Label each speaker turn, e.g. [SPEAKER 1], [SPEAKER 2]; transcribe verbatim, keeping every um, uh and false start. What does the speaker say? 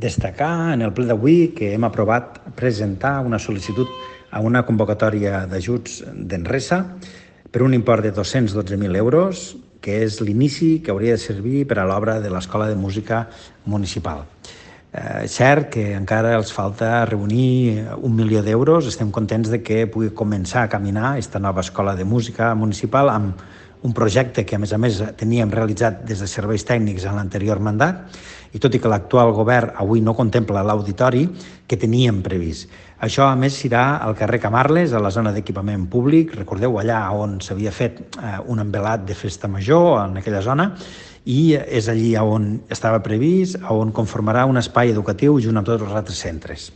[SPEAKER 1] Destacar en el ple d'avui que hem aprovat presentar una sol·licitud a una convocatòria d'ajuts d'Enresa per un import de dos-cents dotze mil euros, que és l'inici que hauria de servir per a l'obra de l'Escola de Música Municipal. Eh, cert que encara els falta reunir un milió d'euros. Estem contents de que pugui començar a caminar aquesta nova Escola de Música Municipal amb un projecte que, a més a més, teníem realitzat des de serveis tècnics en l'anterior mandat, i tot i que l'actual govern avui no contempla l'auditori que teníem previst. Això, a més, serà al carrer Camarles, a la zona d'equipament públic. Recordeu, allà on s'havia fet eh, un envelat de festa major, en aquella zona, i és allí on estava previst, on conformarà un espai educatiu junt amb tots els altres centres.